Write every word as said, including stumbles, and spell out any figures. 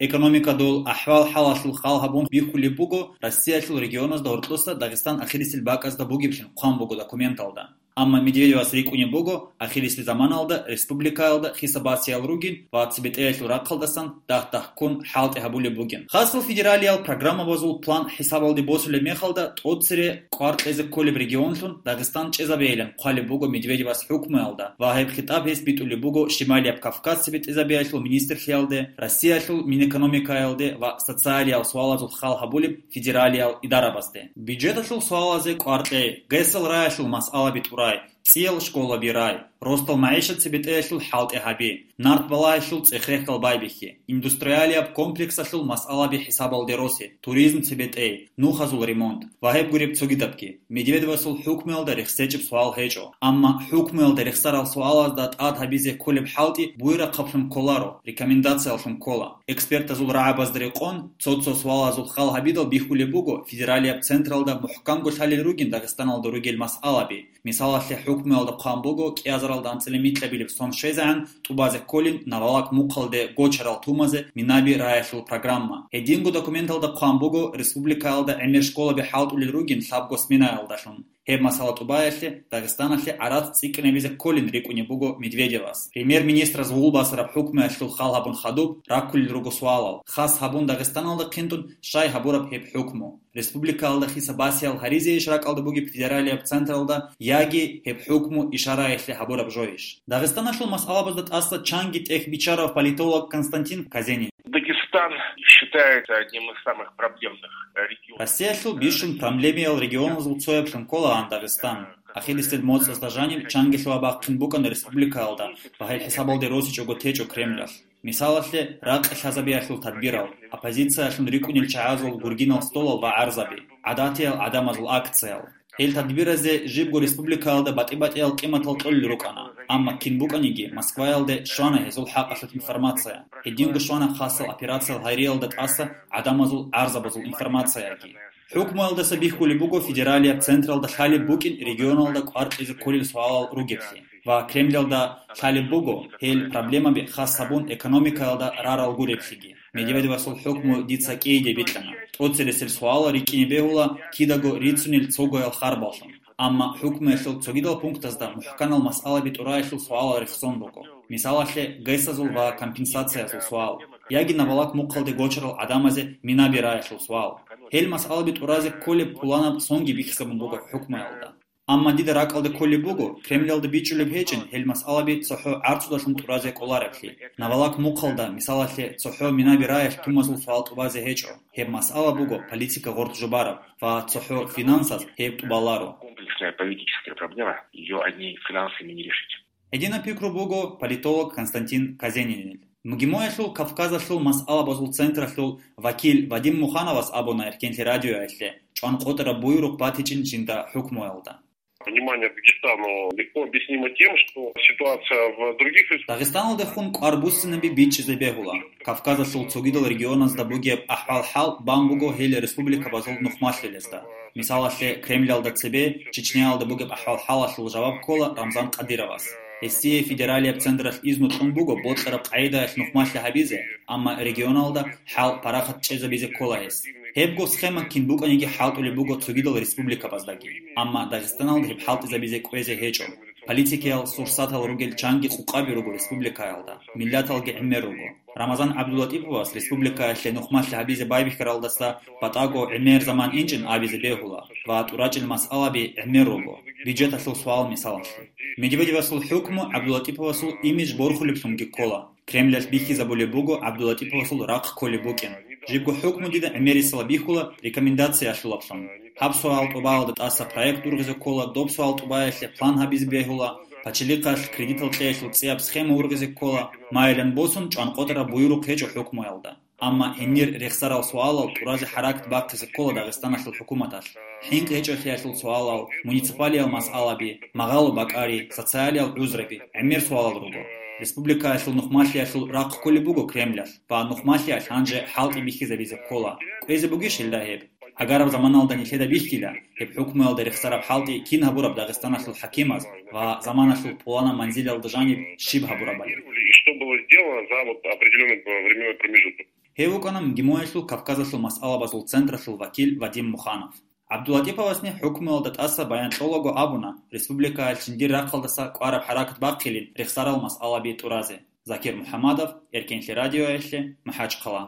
Экономикадул ахӀвал-хӀалалъул хал гьабун бихьулеб буго Россиялъул регионазда гьоркьоса Дагъистан ахирисел бакӀазда бугеблъун хъван буго документалда. Амма Медведевас рикӀкӀунеб буго, ахирисел заманалда республикаялда хисаб-басиял ругин ва цебетӀеялъул рахъалдасан дагь-дагьккун хӀалтӀи гьабулеб бугин. Хасал федералиял программабазул план хӀисабалде босулеб мехалда, тӀоцере кӀвар кьезе кколеб регионлъун Дагъистан чӀезабейилан хъвалеб буго Медведевас хӀукмуялда ва гьеб хитӀаб гьес битӀулеб буго Шималияб Кавказ цебетӀезабиялъул министрлъиялде, Россиялъул Минэкономикаялде ва социалиял суалазул хал гьабулеб федералиял идарабазде. Бюджеталъул суалазе кӀвар кьей, ГЭС-ал раялъул масъалаби тӀурай, цӀиял школаби рай, ростал магӀишат цебетӀеялъул хӀалтӀи гьаби, нарт балагьелъул цӀех-рехьал байбихьи, индустриалияб комплексалъул масъалаби хӀисабалде росе, туризм цебетӀей, нухазул ремонт ва гьеб гуреб цогидабги. Медведевасул хӀукмуялда рехсечӀеб суал гьечӀо. Амма хӀукмуялда рехсарал суалазда тӀад гьабизе кколеб хӀалтӀи буй рахъаблъун кколаро, рекомендацияллъун ккола. Экспертазул рагӀабазда рекъон, цо-цо суалазул хал гьабидал бихьулеб буго федералияб централда мухӀканго лъалел ругин Дагъистаналда ругел масъалаби. Мисалалъе, хӀукмуялда хъван буго кӀиазаралда анцӀила микьабилеб сом щвезегӀан тӀубазе кколин Навалак мухъалде гочарал тумазе Минаби раялъул программа. Гьединго документалда хъван буго республикаялда гӀемер школаби хӀалтӀулел ругин лъабго сменаялдалъун. Гьеб масала тӀубаялъе Дагъистаналъе гӀарац цӀикӀкӀинабизе кколин рикӀкӀунеб буго Медведевас. Премьер-министраз гъулбасараб хӀукмуялъул хал гьабун хадуб раккулел руго суалал, хас гьабун Дагъистаналда хъинтӀун щай гьабураб гьеб хӀукму? Республикаялда хисаб-басиял гьаризейищ ракӀалда бугеб федералияб централда, яги гьеб хӀукму ишараялъе гьабураб жойищ? Дагъистаналъул масъалабазда тӀаса чанги тӀехь бичарав политолог Константин Казенин. Дагестан считается одним из самых проблемных регионов. Россиялъул бищун проблемиял регионазул цояблъун кколаан Дагъистан. Ахирисел моцӀазда жаниб чангилъуа бахъин букӀана республикаялда ва гьел хӀисабалде росичӀого течӀо Кремлалъ. Мисалалъе, ракъи лъазабиялъул тадбирал, оппозициялъун рикӀкӀунел чагӀазул гургинал столал ва гӀарзаби, гӀадатиял гӀадамазул акциял. Гьел тадбиразе жибго республикаялда батӀи-батӀиял къиматал кьолел рукӀана, амма кин букӀаниги Москваялде щвана гьезул хӀакъалъулъ информация. Гьединго щвана хасал операциял гьариялда тӀаса гӀадамазул гӀарзабазул информацияги. ХӀукмуялдаса бихьулеб буго федералияб централда лъалеб букӀин регионалда кӀвар кьезе кколел суалал ругеблъи. Ва Кремлалда лъалеб буго гьел проблемаби хас гьабун экономикаялда рарал гуреблъиги. Медведевасул хӀукму дица кӀийиде бикьана. ТӀоцересел суалал рикӀкӀине бегьула кидаго рицунел цогоял харбаллъун. Амма хӀукмуялъул цогидал пунктазда мухӀканал масъалаби тӀураялъул суалал рехсон руго. Мисалалъе, ГЭС-азул ва компенсациязул суал. Яги Навалак мухъалде гочарал гӀадамазе Минаби раялъул суал. Гьел масъалаби тӀуразе кколеб пуланаб сонги бихьизабун буго хӀукмуялда. Амма дида ракӀалда кколеб буго, Кремлалда бичӀчӀулеб гьечӀин гьел масъалаби цохӀо гӀарцудалъун тӀуразе кӀолареблъи. Навалак мухъалда, мисалалъе, цохӀо Минаби раялъ тумазул суал тӀубазе гьечӀо. Гьеб масъала буго политика гъоркь жубараб ва цохӀо финансаз гьеб тӀубаларо. Комплексная политическая проблема, её одними финансами не решить. Гьединаб пикру буго политолог Константин Казенинил. МГИМОялъул Кавказалъул масъалабазул централъул вакил Вадим Мухановас абуна Эркенлъи радиоялъе, чӀванкъотӀараб буюрухъ батичӀин жинда хӀукмуялда. Внимание Дагестану легко объяснимо тем, что ситуация в других республиках. Дагъистаналдехун кӀвар буссинаби бичӀчӀизе бегьула. Кавказалъул цогидал регионазда бугеб ахӀвал-хӀал бан буго гьел республикабазул нухмалъилезда. Мисалалъе, Кремлалда цебе Чечняялда бугеб ахӀвал-хӀалалъул жаваб ккола Рамзан Кадыровас. Гьесие федералияб централъ изну кьун буго бокьараб къагӀидаялъ нухмалъи гьабизе, амма регионалда хӀал парахат чӀезабизе ккола гьес. Гьебго схема кин букӀаниги хӀалтӀулеб буго цогидал республикабаздаги, амма Дагъистаналда гьеб хӀалтӀизабизе кӀвезе гьечӀо. Политикиял сурсатал ругел чанги къукъаби руго республикаялда, миллаталги гӀемер руго. Рамазан ГӀабдуллатӀиповас республикаялъе нухмалъи гьабизе байбихьаралдаса батӀаго гӀемер заман инчӀин абизе бегьула ва тӀурачӀел масъалаби гӀемер руго, бюджеталъул суал мисалалъе. Медведевасул хӀукму ГӀабдуллатӀиповасул имидж борхулеблъунги ккола. Кремлалъ бихьизабулеб буго ГӀабдуллатӀиповасул рахъ кколеб букӀин. Жибго хӀукму дида гӀемерисела бихьула рекомендациялъулаблъун. Гьаб суал тӀубаялда тӀаса проект ургъизе ккола, доб суал тӀубаялъе план гьабизе бегьула, пачалихъалъ кредитал кьеялъул цӀияб схема ургъизе ккола, майилан босун чӀванкъотӀараб буюрухъ гьечӀо хӀукмуялда. Амма гьенир рехсарал суалал тӀуразе хӀаракат бахъизе ккола Дагъистаналъул хӀукуматалъ. ХӀинкъи гьечӀолъиялъул суалал, муниципалиял масъалаби, магъало бакӀари, социалиял гӀузраби, гӀемер суалал руго. Республикаялъул нухмалъиялъул рахъ кколеб буго Кремлалъ, ва нухмалъиялъ гьанже хӀалтӀи бихьизабизе ккола. КӀвезе бугищ гьелда гьеб? Агараб заманалда нилъеда бихьила, гьеб хӀукмуялда рехсараб хӀалтӀи кин гьабураб Дагъистаналъул хӀакимаз ва заманалъул пуланаб манзилалда жаниб щиб гьабурабали. И что было сделано за вот определённый временной промежуток. Гьев вукӀана МГИМОялъул Кавказалъул масъалабазул централъул вакил Вадим Муханов. ГӀабдулатӀиповасни хӀукмуялда тӀаса баян кьолаго абуна республикаялъ жиндир рахъалдаса кӀвараб хӀаракат бахъилин рехсарал масъалаби тӀуразе. Закир МухӀамадов, Эркенлъи радиоялъе, МахӀачхъала.